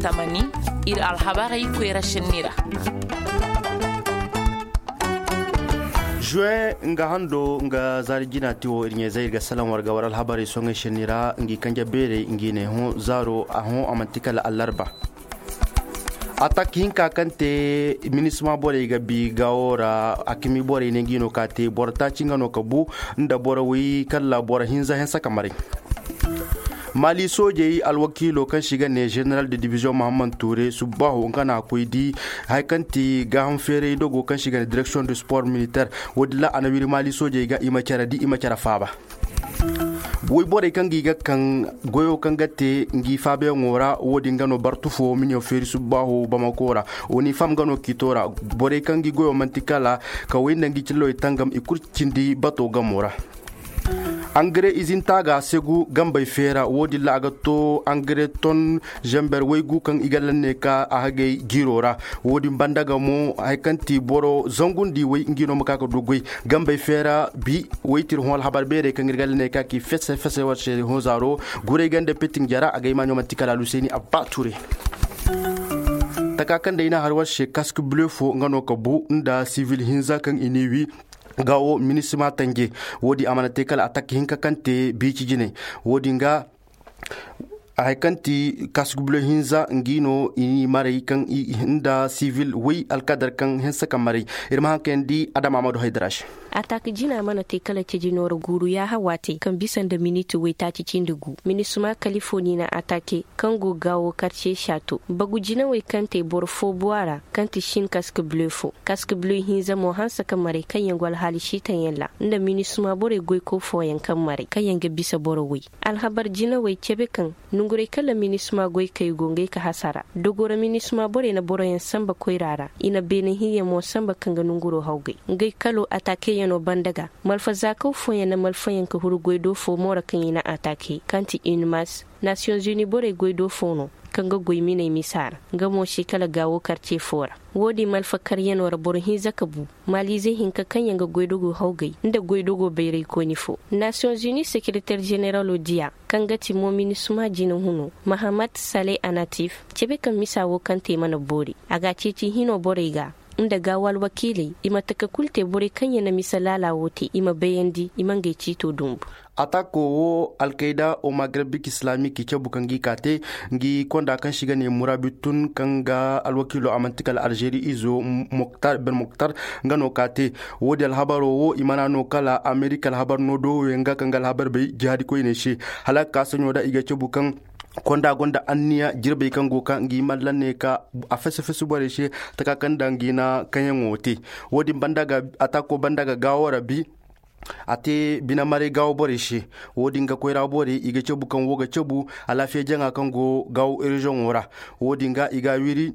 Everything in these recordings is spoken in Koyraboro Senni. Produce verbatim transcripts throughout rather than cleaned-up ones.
Tamani, ir alhabarey koyra šenni ra. Juwe nga hando nga zaari jina ti wo ir ɲeezey ir ga salaŋ war ga war alhabarey soŋey šenni ra ngi kanja beerey ngi ne hõ zaaro a hõ a manti kala allarba. Atak hinka kaŋ te minisma borey ga bi gaawo ra, a kami borey ne ngi no ka te boro taaci nga no ka bu nda boro wi kalla boro hinza hensa ka maray. Mali soojey alwakiilo kaŋ se i ga ne general de division muhammad ture subbaaho nga na a koy di haya kaŋ ti gaaham feeray dogo kaŋ se i ga ne direksiyoŋ de sport militer. Wo- din ra a na wiri mali soojey ga i ma care di i ma care faaba. Woy borey kaŋ ga i ga kaŋ goyo kaŋ ga te ngi faabayaŋo ra wo- din ga no bartu fo miniyo feeri subbaaho bamako ra. Wo ni fam ga no kiito ra borey kaŋ ga i goyo manti kala ka woy nda ngi cillowey tangam i kul cindi bato gamo ra. Angare izinta ga segu gambey feera wo- din ra a ga to angare ton zember waygu kaŋ i ga lanne ka a hagay jiiro ra. Wo- din banda ga mo haya kaŋ ti boro zangundi way ngi no ma ka ga du goy gambey feera bi waytir hõ alhabar beerey kaŋ ir ga lanne ka ki fese fese war se hõ zaaro. Guray ganda petin jara a ga imaɲo manti kala aluseeni abba ture. Taka kaŋ day na har war se kask bleu fo nga no ka bu nda sivil hinza kaŋ i ni wi. Ga wo minisima tanje wo- din a mana te kala atak hinka kaŋ te biici jinay. Wo- din ga haya kaŋ ti kask bleu hinza ngi no i ni maray kaŋ i nda sivil way alkadar kaŋ hense ka maray. Ir ma haŋ kayandi adama amadu haydara se. Atak jina mana te kala ceji noora guuru yaaha waate kaŋ bisa nda miniti waytaaci cindi gu minisima kalifoni na atake kaŋ go gaawo karce shato bagu jinawey kaŋ te boro fo buwa ra kaŋ ti shin kask bleu fo. Kask bleu hinza mo hanse ka maray kaŋ yaŋ go alhaali siitaŋ yaŋ ra nda minisima borey goyko fooyaŋ kaŋ maray kaŋ yaŋ ga bisa boro woy. Alhabar jinawey cebe kaŋ nonguray kala minisima goykey go ngey ka hasara dogo ra minisima borey na boroyaŋ sanba koyra ra i na beene hinyaŋ mo sanba kaŋ ga nonguro hawgay. Ngey kalo ataakeyaŋo banda ga malfazaakaw fooyaŋ na malfayaŋ ka huru goydo fo mo ra kaŋ i na ataake kaŋ ti unimas nasiyoŋ zuni borey goydo fo no kaŋ ga goy miney misa ra. Nga mo se kala gaawo karce fo ra. Wo- din malfa karyaŋo ra boro hinza ka bu maaliizey hinka kaŋ yaŋ ga goydogo hawgay nda goydogo bayraykoyni fo. Nasiyoŋ zuni sekereter jeneralo diya kaŋ ga ti mo minisima jina huno mahamat sale anatif cebe kaŋ misa wo kaŋ te mana boori a ga a ceeci hino borey ga nda gaawo alwakiiley i ma taka kulu te borey kaŋ yaŋ na misa laala wo te i ma bayandi i ma ngey ciito dumbu. Atako wo alkayda o magreb bik islamic i cabu kaŋ gi ka te ngi konda kaŋ se i ga ne murabi tun kaŋ ga alwakiilo a manti kala algeri izo ben moktar nga no ka te. Wo- din alhabaro wo i mana no kala amerika alhabar no do yaŋ ga kaŋ ga alhabar bay jihaadi koyney se hala ga ka saɲo da i ga cabu kaŋ konda gonda anniya jirbey kaŋ go ka ngi mallan ne ka a fese fese borey se taka kaŋ da ngi na kaŋyaŋo te. Wo- din banda ga atako banda ga gaawo ra bi a te bine maray gaawo borey se. Wo- din ga koyra borey i ga cabu kaŋ wo ga cabu alaafiya jaŋa kaŋ go gaawo reziyoŋo ra. Wo- din ga i ga a wiri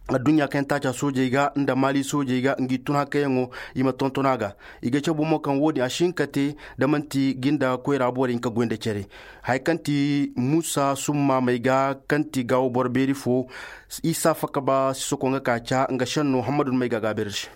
adduɲɲa kaŋ yaŋ taaca soojey ga nda maali soojey ga ngi tun hakkayaŋo i ma tonton a ga. I ga cabu mo kaŋ wo- din a si hin ka te da man'ti ga nda koyra borey hin ka goy nda care. Haya kaŋ ti muusa summaamey ga kaŋ ti gaawo boro beeri fo. Isa fakaba sisoko nga ka ca nga šenno hammadu may ga a ga a beeri se.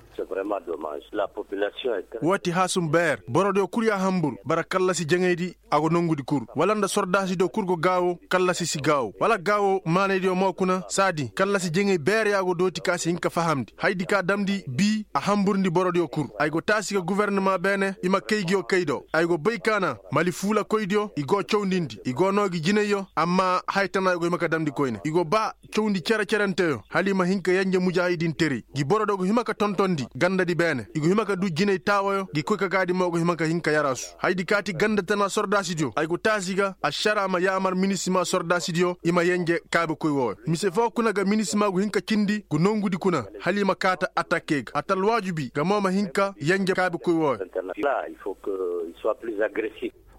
Wo ti haasum beer borodiyo kul ya hambur bara kallasi jaŋaydi. A go nongudi kul wala nda sordaasidiyo kul go gaawo kallasi si gaawo wala gaawo maanaydiyo mo kuna saadi kallasi jaŋay beer ya go dooti ka si hin ka fahamndi haydi ka damndi bi a hamburndi borodiyo kul. Ay go taasi ga gufornama beene i ma kay nguyo kay do ay go bay ka na mali fuulakoydiyo i go cawndindi i go noo gi jinayyo amma haya tana i go hima ka damndi koyne i go ba cawndi cere-cerenteyo hala i ma hin ka yenje mujaahidinteray gi boro do go hima ka tontondi gandadi beene i go hima ka du jinay taawayo gi koy ka gaadi mo go hima ka hin ka yaraasu haydi kaati ganda tana sordaasidiyo ay go taasi ga ašaraa ma yaamar minisima sordaasidiyo i ma yenje kaabekoy wooyo mise foo kuna ga minisima go hin ka cindi go nongudi kuna hala i ma kaata atakey ga a ta alwaajibi ga mo ma hin ka yenje kaabekoy wooyo.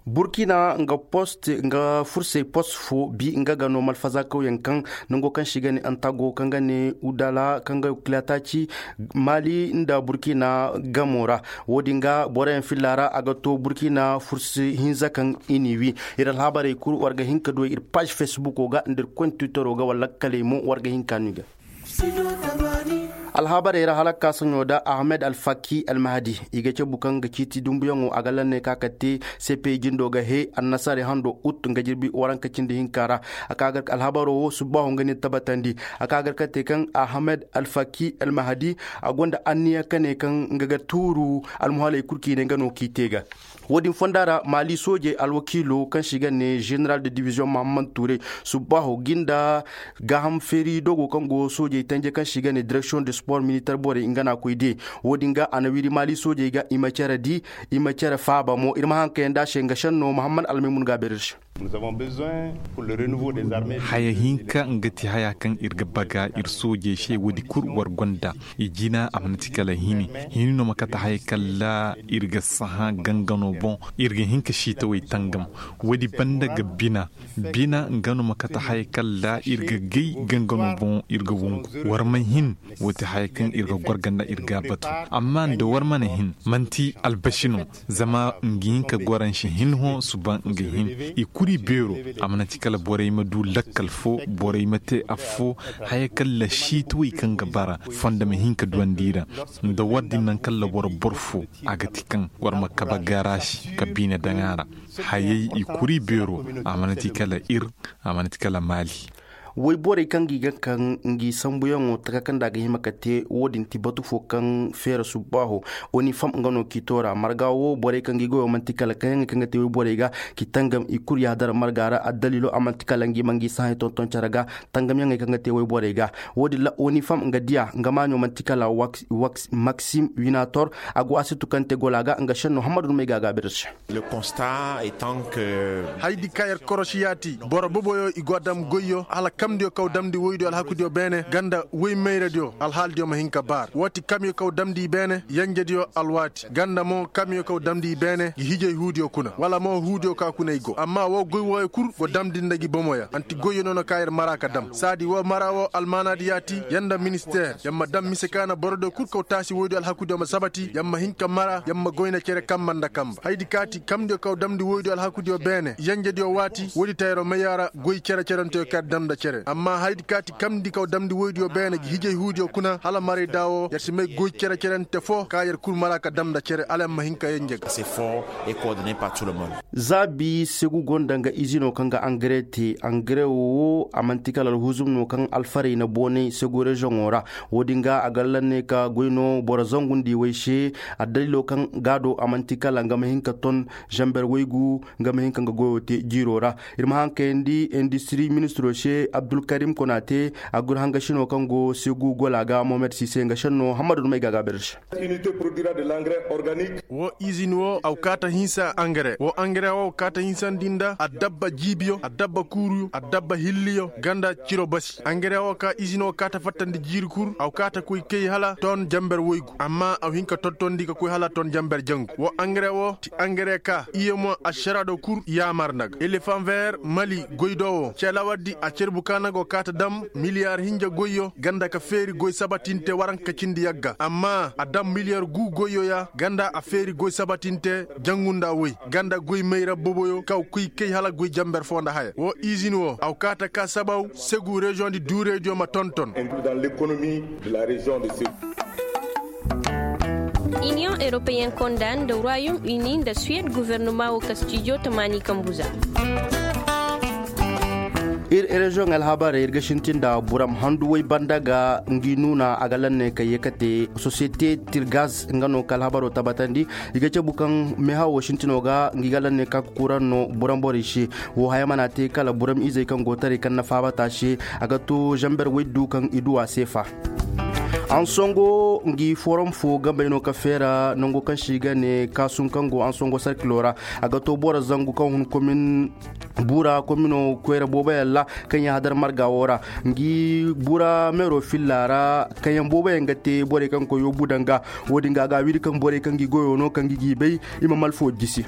Burkina nga post nga fursey post fo bi nga ga no malfazakawyaŋ kaŋ nango kaŋ se i ga ne antago kaŋ ga ne udala kaŋ ga kilataaci mali nda burkina gamo ra. Wo-din ga boroyaŋ filla ra a ga to burkina fursi hinza kaŋ i n'i wi. Ir alhabarey kul war ga hin ka du ir paaž fesbuko ga nda ir koyne twittero ga wala lakkaley mo war ga hin ka no i ga. Alhabarey ra hala ka saɲo da ahmed alfaki almahadi i ga cabu kaŋ ga ciiti dumbuyaŋo a ga lanney ka ka te. Sepe jindo ga he annasaarey hando ut nga jirbi waranka cindi hinka ra. A ka gar alhabaro wo subbaaho nga ne tabatandi. A ka gar ka te kaŋ ahmed alfaki almahadi a gonda anniya ka ne kaŋ nga ga tuuru almuhaaley kul kaŋ i ne nga no kaŋ i te ga. Wo-din fonda ra maali soojey alwakiilo kaŋ se i ga ne general de division mahamman tuuray subbaaho ga i nda gaaham feeri dogo kaŋ go soojey tanje kaŋ se i ga ne direksiyoŋ de sport militer borey nga na a koy de. Wo-din ga a na wiri maali soojey ga i ma cere di, i ma cere faaba mo ir ma haŋ kayandi a se nga senno mahamman almaymun ga a beer ir se. Haya hinka nga ti haya kaŋ ir ga baga ir soojey se woodi kul war gonda. I jina a mana ti kala hini hini no ma kate haya kala ir ga saha gangano boŋ. Ir ga hin ka siitawey tangam woodi banda ga bina. Bina nga no ma kate haya kala ir ga gay gangano boŋ ir ga wongu. War ma hin wo ti haya kaŋ ir ga gorga nda ir ga a batu. Amma nda war mana hin manti albasi no. Zama nga hin ka goransi hin hõ suba nga hin i kuri beero. A mana ti kala borey ma du lakkal fo borey ma te affo. Haya kala siitawey kaŋ ga bara fondo ma hin ka duwandi i ra. Nda war din naŋ kala war boro fo a ga ti kaŋ war ma kabe garasi ka biine daŋ a ra. Hayey i kuri beero. A mana ti kala ir a mana ti kala maali. Woyborey kaŋ ga i ga kaŋ ngi sambuyaŋo taka kaŋ nda a ga hima ka te wo-din ti batu fo kaŋ feera subbaaho. Oni fam nga no k'i toora marga wo borey kaŋ ga i goyo man'ti kala kaŋyaŋey kaŋ ga te woyborey ga k'i tangam i kul yaadara marga ra addaliilo a man'ti kala ngi ma ngi sahay tonton care ga. Tangamyaŋey kaŋ ga te woyborey ga wo-din ra oni fam nga diya nga maaɲo man'ti kala maksim winator. A go a si tukantegola ga nga senno hammadu dumey ga a gaabir se. Haydi ka yer korosiyaati boro boboyo i go a dam goyyo hala kamdiyo kaw damndi woydiyo alhakudiyo beene ganda woy mayradiyo alhaaldiyo ma hin ka baar woo ti kamyo kaw damndi i beene yenjediyo alwaati ganda mo kamyo kaw damndi i beene gi hijay huudiyo kuna wala mo huudiyo ka kuna i go amma woo goy wooyo kul go damndi nda gi bomoya anti goyyo noona ka yer mara ka dam saadi woo mara woo almaanaadi yaati yer nda ministeer yer ma dam mise ka na borodiyo kul kaw taasi woydiyo alhakudiyo ma sabati yer ma hin ka mara yer ma goyna cere kamba nda kamba haydi kaati kamdiyo kaw damndi woydiyo alhakudiyo beene yenjediyo waati woodi tayro mayya ra goy cere-cerenteyo kaŋ yer dam nda cere amma haydi kaati kamndi kaw damndi woydiyo beene gi hijay huudiyo kuna hala maray da woo yer si may goy cere-cerente foo ka yer kul mara ka dam nda cere hala yer ma hin ka yenje ga. Zaabi segu gonda nga izino kaŋ ga angare te angare woo a man'ti kala alhuzum no kaŋ alfarey na boonay segu reziyoŋo ra. Wo-din ga a ga lanney ka goy no boro zangundi way se. Addaliilo kaŋ ga a do a man'ti kala nga ma hin ka ton zamber waygu nga ma hin ka nga goyo te jiiro ra. Ir ma haŋ kayandi industiri ministiro se abdulkarim konate agurhangasino kaŋ go segu gola ga mohamed sise nga senno hammadu dumey ga a gaabir se. Woo izin woo a ga kaata hinsa angare woo angare woo a ga kaata hinsandi nda addabba jiibiyo addabba kuuruyo addabba hilliyo ganda ciro basi angare woo ka izin woo kaata fattandi jiiri kul a ga kaata koy kay hala ton jamber woygu amma a ga hin ka tottondi ka koy hala ton jamber jangu woo angare woo ti angare ka iye mo ašarado kul yaamar nda ga elefan ver mali goy do woo celawardi a cerbu ka na go kaata dam miliyar hinja goyyo ganda ka feeri goy sabatinte waranka cindi yagga amma a dam miliyar gu goyyo ya ganda a feeri goy sabatinte jangu nda woy ganda goy mayra boboyo kaw kuy kay hala goy jamber foo nda haya woo izin woo a ga kaata ka sabaw segu reziyoŋ di duuraydiyo ma tonton. Iniyoŋ eropeyen konda nda royom uni nda suwed gofornoma woo ka stijo tamaani kambu za. Ir reziyoŋ alhabarey ir ga sintin nda buram handu woy banda ga ngi nuuna a ga lanney ka ye ka te sosiyete tirgaz nga no ka alhabaro tabatandi. I ga cabu kaŋ mehawo sintino ga ngi ga lanney ka ga kuran no buram borey se. Woo haya mana te kala buram izey kaŋ go taray kaŋ na faabata se a ga to zamber woy du kaŋ i du a seefa. Ansongo ngi forom fo gambey no ka feera nango kaŋ se i ga ne kaasum kaŋ go ansongo sarkilo ra. A ga to boro zangu kaŋ hun komin bura komino koyra booboyaŋ ra kaŋ yaŋ hadar marga wo ra. Ngi bura meero filla ra kaŋ yaŋ booboyaŋ ga te borey kaŋ koyo bu daŋ ga. Wo-din ga a ga a wiri kaŋ borey kaŋ ngi goyo no kaŋ ngi g'i bay i ma malfo jisi.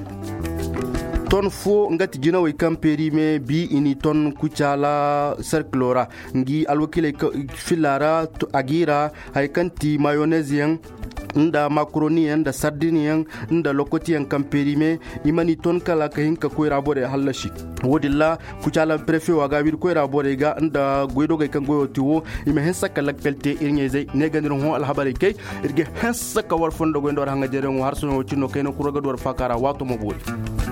Ton fo nga ti jinawey kaŋ perime bi i n'i ton kucaala sarkilo ra. Ngi alwakiiley filla ra a g'i ra haya kaŋ ti mayonez yaŋ. nda makaroniyaŋ nda sardiniyaŋ nda lokotiyaŋ kaŋ perime, i mana i ton kala ka hin ka koyra borey hallasi. Wo-din ra kucaalaŋ prefe wo a ga a wiri koyra borey ga nda goydogey kaŋ goyo ti wo, i ma hinsa ka lakkal te ir ɲayzey ne ga nda ir hõ alhabarey kay. Ir ga hinsa ka war fondo goy nda war haŋajereyaŋo har sohõ wo cine no kayna kura ga du war faaka ra waato ma boori.